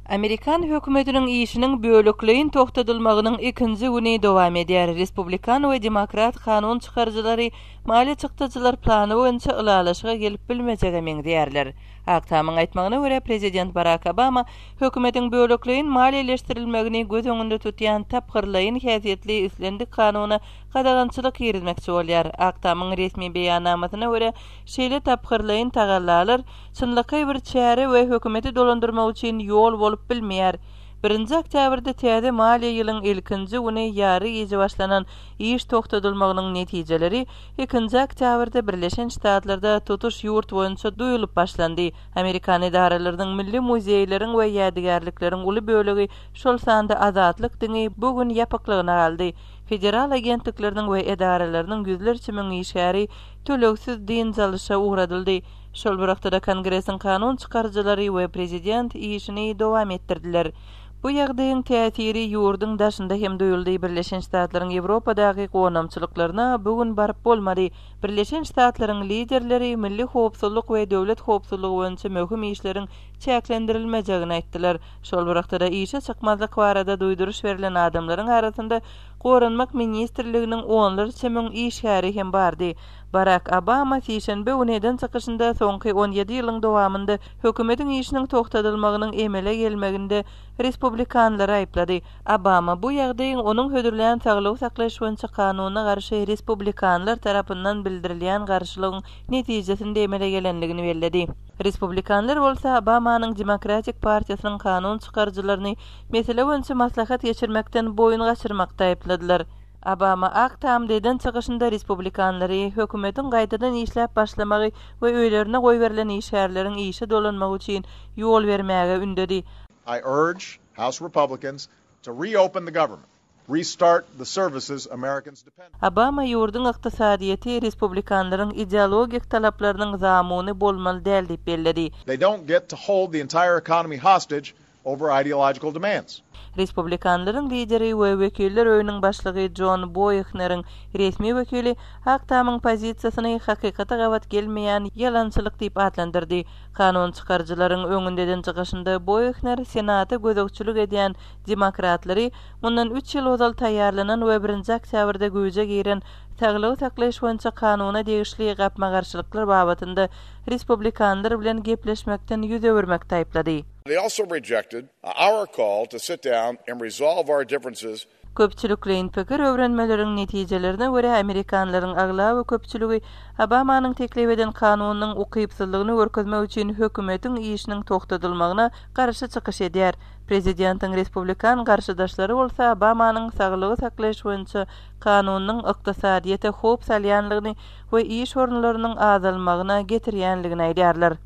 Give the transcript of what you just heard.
Amerikan hökümetiniň işiniň bölekleýin togtadylmagynyň ikinji güni dowam edýär. Respublikan we demokrat kanun çykaryjylary maliýe çykdajylar plany boýunça ylalaşyga gelip bilmejege meňzeýärler. Ak Tamyň aýtmagyna görä, prezident Barak Obama hökümetiň bölekleýin maliýeleşdirilmegini göz öňünde tutýan tapgyrlaýyn häsiýetli islendik kanuna gadagançylyk girizmekçi bolýar. Ak Tamyň resmi beýannamasyna görä, şeýle tapgyrlaýyn tagallalar çynlakaý bir çäre we hökümeti dolandyrmak üçin ýol bolup bilmeýär. Birinji oktýabrda täze maliýe ýylyň ilkinji güni ýary gije başlanan iş togtadylmagynyň netijeleri ikinji oktýabrda Birleşen Ştatlarda tutuş ýurt boýunça duýulyp başlandy. Amerikan edaralarynyň, milli muzeýleriň we ýadygärlikleriň uly bölegi, şol sanda Azatlyk diňi bu gün ýapyklygyna galdy. Federal agentlikleriniň we edaralarynyň ýüzlerçe müň işgäri tölegsiz dynç alyşa ugradyldy. Şol bir wagtda-da Kongresiň kanun çykaryjylary we prezident işini dowam etdirdiler. Bu ýagdaýyň täsiri ýurduň daşynda hem duýuldy, Birleşen Ştatlaryň Ýewropadaky gonamçylyklaryna bu gün baryp bolmady. Birleşen Ştatlaryň liderleri milli howpsuzlyk we döwlet howpsuzlygy boýunça möhüm işleriň çäklendirilmejegini aýtdylar. Şol bir wagtda-da işe çykmazlyk barada duýduryş berlen adamlaryň arasynda Goranmak ministrliginiň onlarça müň işgäri hem bardy. Barak Obama sişenbe güni eden çykyşynda soňky on ýedi ýylyň dowamynda hökümetiň işiniň togtadylmagynyň emele gelmeginde respublikanlary aýyplady. Obama bu ýagdaýyň onuň hödürlän saglygy saklaýyş boýunça kanunyna garşy respublikanlar tarapyndan bildirilýän garşylygyň netijesinde emele gelendigini belledi. Respublikanlar bolsa Obamanyň Demokratik partiýasynyň kanun çykaryjylaryny mesele boýunça maslahat geçirmekden boýun gaçyrmakda aýypladylar. Obama Ak Tamda eden çykyşynda respublikanlary hökümetiň gaýtadan işläp başlamagy we öýlerine goýberilen işgärleriň işe dolanmagy üçin ýol bermäge ündedi. I urge House Republicans to reopen the government, restart the services Americans depend on. Obama ýurduň ykdysadyýeti respublikanlaryň ideologik talaplarynyň zamuny bolmaly däl diýip belledi. They don't get to hold the entire economy hostage over ideological demands. Respublikanlaryň lideri we Wekiller öýüniň başlygy Jon Boehneriň resmi wekili Ak Tamyň pozisiýasyny hakykata gabat gelmeýän ýalançylyk diýip atlandyrdy. Kanun çykaryjylaryň öňünde eden çykyşynda Boehner Senata gözegçilik edýän demokratlary mundan üç ýyl ozal taýýarlanan we birinji oktýabrda güýje giren saglygy saklaýyş boýunça kanuna degişli gapma-garşylyklar babatynda respublikanlar bilen gepleşmekden ýüz öwürmekde aýyplady. They also rejected our call to sit down and resolve our differences. Köpçülikleýin pikir öwrenmeleriň netijelerine görä, amerikanlaryň aglaba köpçüligi Obamanyň teklip eden kanunynyň ukypsyzlygyny görkezmek üçin hökümetiň işiniň togtadylmagyna garşy çykyş edýär. Prezidentiň respublikan garşydaşlary bolsa Obamanyň saglygy saklaýyş boýunça kanunynyň ykdysadyýete howp salýanlygyny we iş orunlarynyň azalmagyna getirýänligini aýdýarlar.